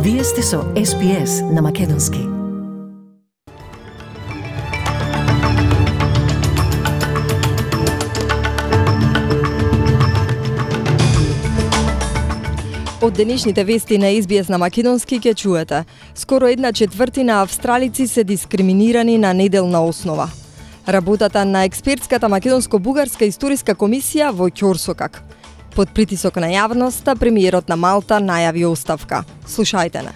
Вие сте со SPS на Македонски. Од денешните вести на SBS на Македонски ќе чуете. Скоро 1/4 австралици се дискриминирани на неделна основа. Работата на експертската македонско-бугарска историска комисија во ќорсокак. Под притисок на јавноста, премиерот на Малта најави оставка. Слушајте не.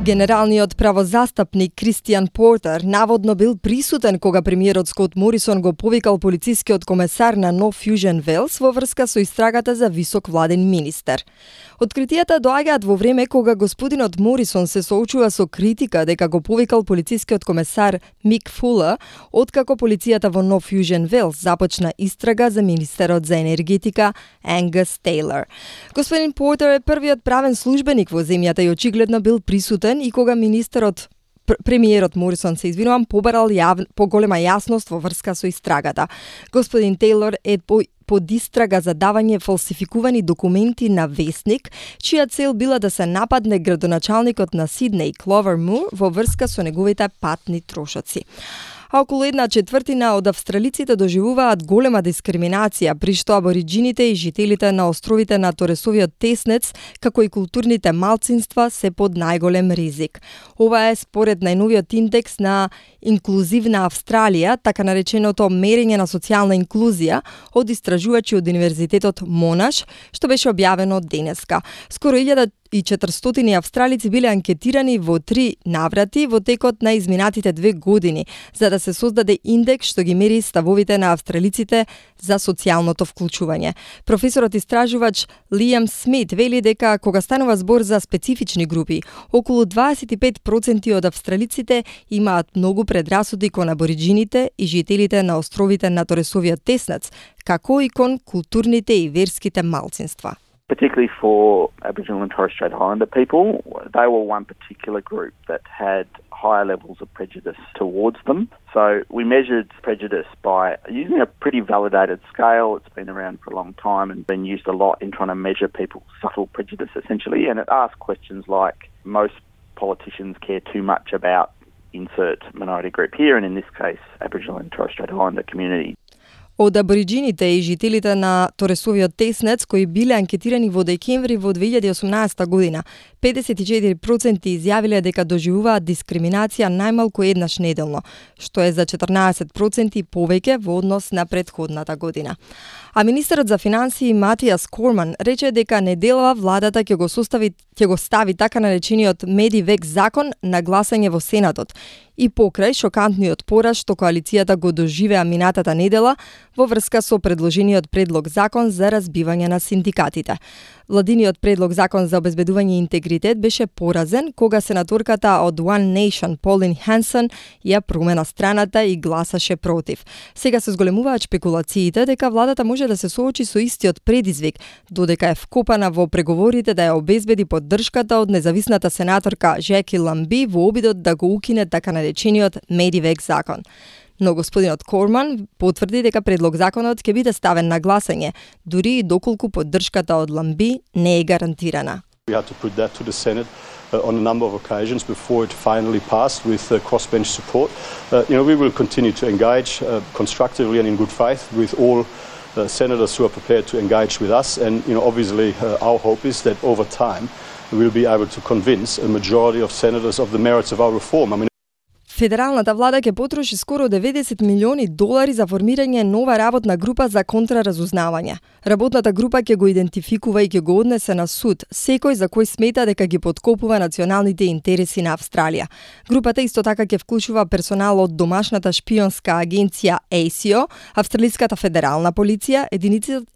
Генералниот правозастапник Кристијан Портер наводно бил присутен кога премиерот Скот Морисон го повикал полицискиот комесар на Нов Фјужен Велс во врска со истрагата за висок владен министер. Откритијата доаѓаат во време кога господинот Морисон се соочува со критика дека го повикал полицискиот комесар Мик Фулер, откако полицијата во Нов Фјужен Велс започна истрага за министерот за енергетика Ангус Тейлор. Господин Портер е првиот правен службеник во земјата и очигледно бил присутен и кога премиерот Морисон побарал поголема јасност во врска со истрагата. Господин Тейлор е под истрага за давање фалсификувани документи на Вестник, чија цел била да се нападне градоначалникот на Сиднеј Кловер Мур во врска со неговите патни трошоци. А околу 1/4 од австралиците доживуваат голема дискриминација, при што абориџините и жителите на островите на Торесовиот теснец, како и културните малцинства, се под најголем ризик. Ова е според најновиот индекс на инклузивна Австралија, така нареченото мерење на социјална инклузија од истражувачи од Универзитетот Монаш, што беше објавено денеска. Скоро 1400 австралици биле анкетирани во 3 наврати во текот на изминатите 2 години, за да се создаде индекс што ги мери ставовите на австралиците за социјалното вклучување. Професорот истражувач Лиам Смит вели дека кога станува збор за специфични групи, околу 25% од австралиците имаат многу предрасуди кон абориџините и жителите на островите на Торесовиот теснец, како и кон културните и верските малцинства. Particularly for Aboriginal and Torres Strait Islander people, they were one particular group that had higher levels of prejudice towards them. So we measured prejudice by using a pretty validated scale. It's been around for a long time and been used a lot in trying to measure people's subtle prejudice, essentially. And it asked questions like, most politicians care too much about insert minority group here, and in this case, Aboriginal and Torres Strait Islander community. Од абориџините и жителите на Торесовиот теснец, кои биле анкетирани во декември во 2018 година, 54% изјавиле дека доживуваат дискриминација најмалку еднаш неделно, што е за 14% повеќе во однос на претходната година. А министерот за финансии Матиас Корман рече дека неделава владата ќе го стави така наречениот Медивек закон на гласање во Сенатот и покрај шокантниот пораз што коалицијата го доживеа минатата недела во врска со предложениот предлог закон за разбивање на синдикатите. Владиниот предлог закон за обезбедување интегритет беше поразен кога сенаторката од One Nation Pauline Hanson ја промена страната и гласаше против. Сега се зголемуваат шпекулациите дека владата може да се соочи со истиот предизвик, додека е вкопана во преговорите да ја обезбеди поддршката од независната сенаторка Жеки Ламби во обидот да го укине така наречениот Медивек закон. Но господинот Корман потврди дека предлог законот ќе биде ставен на гласање, дури и доколку поддршката од Ламби не е гарантирана. We had to put that to the Senate on a number of occasions before it finally passed with crossbench support. We will continue to engage constructively and in good faith with all senators who are prepared to engage with us, and obviously our hope is that over time we'll be able to convince a majority of senators of the merits of our reform. Федералната влада ќе потроши скоро $90 милиони за формирање нова работна група за контраразузнавање. Работната група ќе го идентификува и ќе го однесе на суд секој за кој смета дека ги поткопува националните интереси на Австралија. Групата исто така ќе вклучува персонал од домашната шпионска агенција ASIO, Австралиската федерална полиција,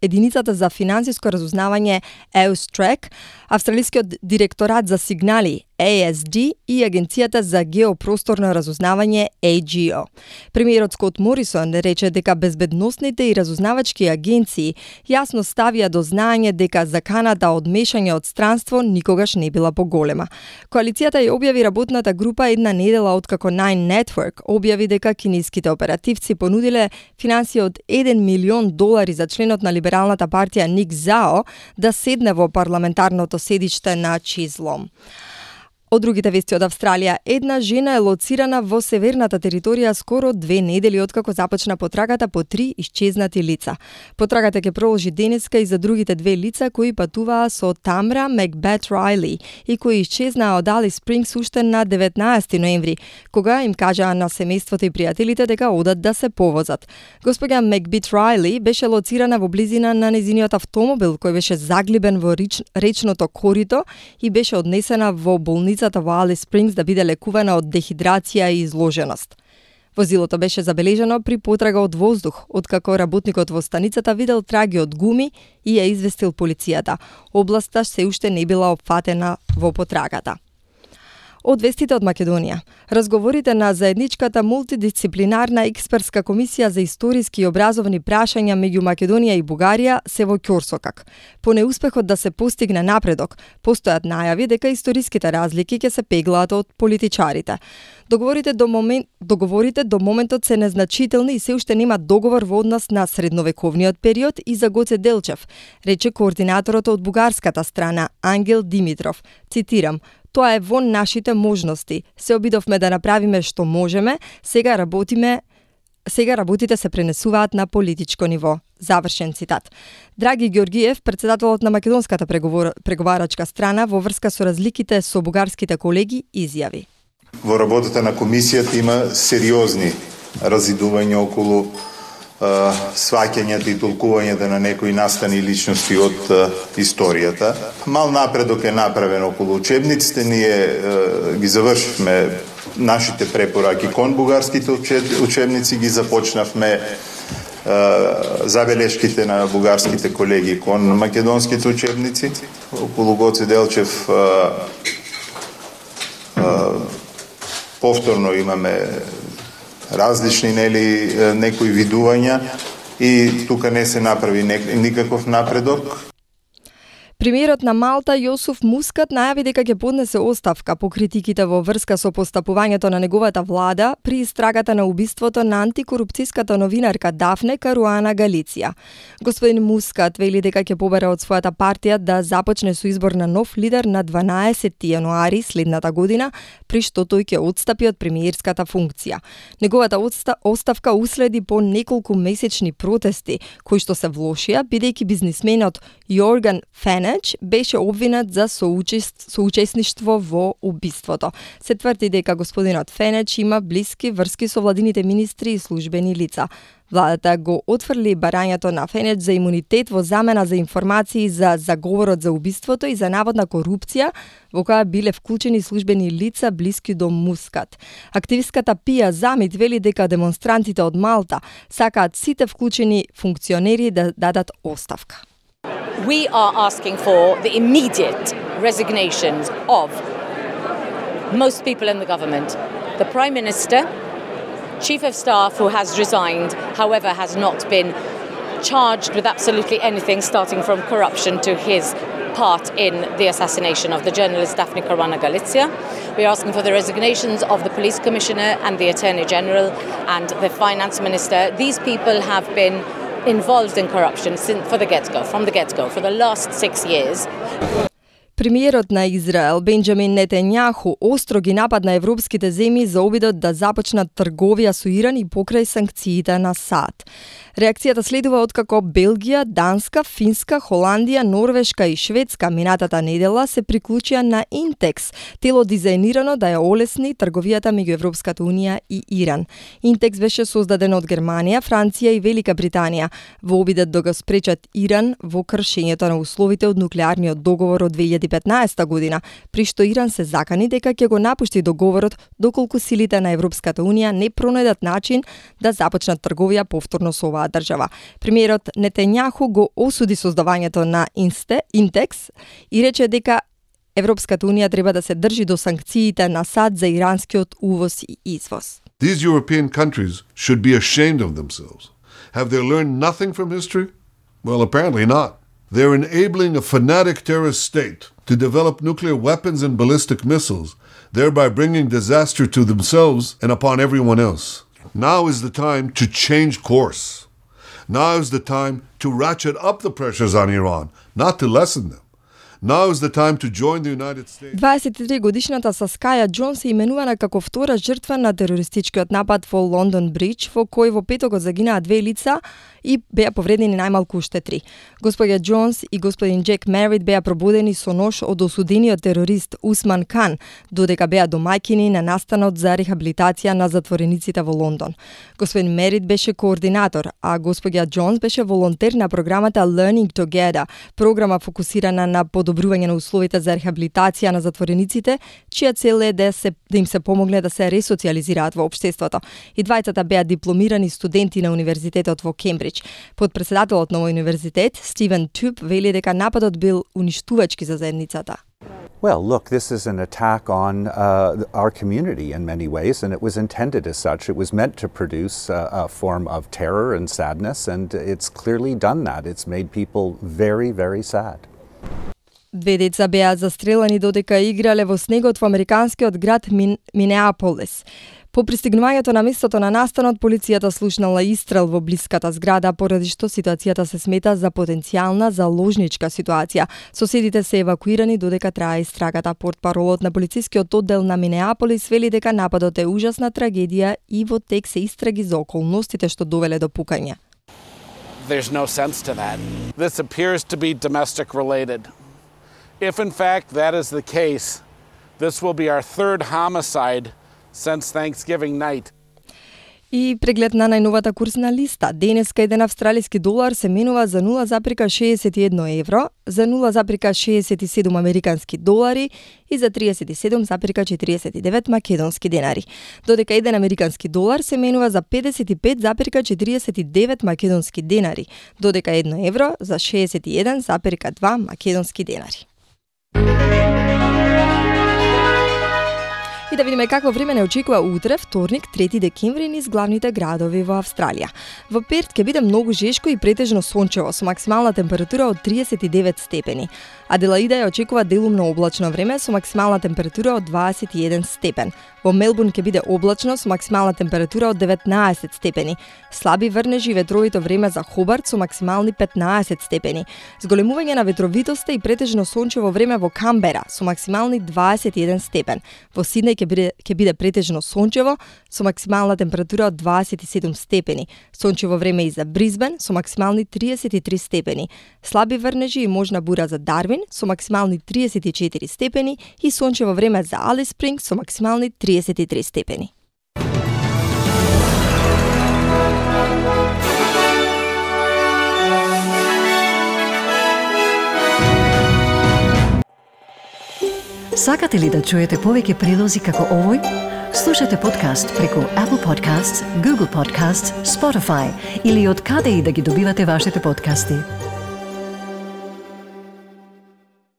единицата за финансиско разузнавање AUSTRAC, Австралискиот директорат за сигнали ASD и Агенцијата за геопросторно разузнавање разузнавање AGO. Премиерот Скот Морисон рече дека безбедносните и разузнавачки агенции јасно ставија до знаење дека заканата од мешање од странство никогаш не била поголема. Коалицијата ја објави работната група една недела откако Nine Network објави дека кинеските оперативци понудиле финансија од $1 милион за членот на либералната партија Ник Зао да седне во парламентарното седиште на Чизлом. Од другите вести од Австралија, една жена е лоцирана во северната територија скоро 2 недели откако започна потрагата по 3 исчезнати лица. Потрагата ќе продолжи денеска и за другите 2 лица кои патуваа со Тамра Мекбет Райли и кои исчезнаа од Алис Спрингс уште на 19 ноември, кога им кажаа на семејството и пријателите дека одат да се повозат. Госпоѓа Мекбет Райли беше лоцирана во близина на нејзиниот автомобил кој беше заглибен во речното корито и беше однесена во болницата во Алис Спрингс да биде лекувана од дехидрација и изложеност. Возилото беше забележано при потрага од воздух, откако работникот во станицата видел траги од гуми и ја известил полицијата. Областа се уште не била опфатена во потрагата. Од вестите од Македонија. Разговорите на заедничката мултидисциплинарна експертска комисија за историски и образовни прашања меѓу Македонија и Бугарија се во ќорсокак. По неуспехот да се постигне напредок, постојат најави дека историските разлики ќе се пеглаат од политичарите. Договорите до моментот се незначителни и се уште нема договор во однос на средновековниот период и за Гоце Делчев, рече координаторот од бугарската страна Ангел Димитров. Цитирам: "Тоа е во нашите можности. Се обидовме да направиме што можеме, сега работите се пренесуваат на политичко ниво." Завршен цитат. Драги Георгиев, председателот на македонската преговарачка страна во врска со разликите со бугарските колеги, изјави: Во работата на комисијата има сериозни разидувања околу сваќањата и толкувањата на некои настани личности од историјата. Мал напредок е направен околу учебниците, ние ги завршивме нашите препораки кон бугарските учебници, ги започнавме забелешките на бугарските колеги кон македонските учебници. Околу Гоце Делчев повторно имаме различни некои видувања и тука не се направи никаков напредок. Премиерот на Малта Јосуф Мускат најави дека ќе поднесе оставка по критиките во врска со постапувањето на неговата влада при истрагата на убиството на антикорупцијската новинарка Дафне Каруана Галиција. Господин Мускат вели дека ќе побара од својата партија да започне со избор на нов лидер на 12 јануари следната година, при што тој ќе отстапи од премиерската функција. Неговата оставка уследи по неколку месечни протести, кои што се влошија, бидејќи бизнисменот Јорган Фенеч беше обвинет за соучесништво во убиството. Се тврди дека господинот Фенеч има блиски врски со владините министри и службени лица. Владата го отфрли барањето на Фенеч за имунитет во замена за информации за заговорот за убиството и за наводна корупција во која биле вклучени службени лица блиски до Мускат. Активистката Пија Замит вели дека демонстрантите од Малта сакаат сите вклучени функционери да дадат оставка. We are asking for the immediate resignations of most people in the government. The Prime Minister, Chief of Staff who has resigned, however, has not been charged with absolutely anything, starting from corruption to his part in the assassination of the journalist Daphne Caruana Galizia. We are asking for the resignations of the Police Commissioner and the Attorney General and the Finance Minister. These people have been involved in corruption from the get-go, for the last 6 years. Премиерот на Израел Бенџамин Нетањаху остро ги нападна европските земји за обидот да започнат трговија со Иран и покрај санкциите на САД. Реакцијата следува откако Белгија, Данска, Финска, Холандија, Норвешка и Шведска минатата недела се приклучија на Интекс, тело дизајнирано да ја олесни трговијата меѓу Европската унија и Иран. Интекс беше создаден од Германија, Франција и Велика Британија во обидот да го спречат Иран во кршењето на условите од нуклеарниот договор од 2015 година, при што Иран се закани дека ќе го напушти договорот доколку силите на Европската унија не пронајдат начин да започнат трговија повторно со оваа држава. Премиерот Нетањаху го осуди создавањето на Интекс и рече дека Европската унија треба да се држи до санкциите на САД за иранскиот увоз и извоз. These European countries should be ashamed of themselves. Have they learned nothing from history? Well, apparently not. They're enabling a fanatic terrorist state to develop nuclear weapons and ballistic missiles, thereby bringing disaster to themselves and upon everyone else. Now is the time to change course. Now is the time to ratchet up the pressures on Iran, not to lessen them. Now is the time to join the United States. 23-годишната Саскаја Џонс е именувана како втора жртва на терористичкиот напад во Лондон Бридж, во кој во петокот загинаа 2 лица и беа повредени најмалку уште 3. Господја Џонс и господин Джек Мерит беа пробудени со нож од осудениот терорист Усман Кан, додека беа домаќини на настанот за рехабилитација на затворениците во Лондон. Господин Мерит беше координатор, а господја Џонс беше волонтер на програмата Learning Together, програма фокусирана на подобрување на условите за рехабилитација на затворениците, чија цел е да им се помогне да се ресоциализираат во општеството. И двајцата беа дипломирани студенти на универзитетот во Кембридж. Подпредседателот на универзитет, Стивен Туп, вели дека нападот бил уништувачки за заедницата. Well, look, this is an attack on our community in many ways, and it was intended as such. It was meant to produce a form of terror and sadness, and it's clearly done that. It's made people very, very sad. 2 деца беа застрелани додека играле во снегот во американскиот град Минеаполис. По пристигнувањето на местото на настанот, полицијата слушнала истрел во блиската зграда, поради што ситуацијата се смета за потенцијална заложничка ситуација. Соседите се евакуирани додека трае истрагата. Портпаролот на полицискиот оддел на Минеаполис вели дека нападот е ужасна трагедија и во тек се истраги за околностите што довеле до пукање. There's no sense to that. This appears to be domestic related. If in fact that is the case, this will be our third homicide since Thanksgiving night. И преглед на најновата курсна листа. Денеска еден австралиски долар се менува за 0,61 евро, за 0,67 американски долари и за 37,49 македонски денари. Додека еден американски долар се менува за 55,49 македонски денари, додека 1 евро за 61,2 македонски денари. И да видиме какво време не очекува утре, вторник, 3 декември, низ главните градови во Австралија. Во Перт ќе биде многу жешко и претежно сончево, со максимална температура од 39 степени. Аделаида ја очекува делумно облачно време со максимална температура од 21 степен. Во Мелбурн ќе биде облачно со максимална температура од 19 степени. Слаби врнежи и ветровито време за Хобарт со максимални 15 степени. Зголемување на ветровитоста и претежно сончево време во Камбера со максимални 21 степен. Во Сиднеј ќе биде претежно сончево со максимална температура од 27 степени. Сончево време и за Бризбен со максимални 33 степени. Слаби врнежи и можна бура за Дарвин со максимални 34 степени и сончево време за Алис Спрингс со максимални 33 степени. Сакате ли да чуете повеќе прилози како овој? Слушате подкаст преку Apple Podcasts, Google Podcasts, Spotify или од каде и да ги добивате вашите подкасти.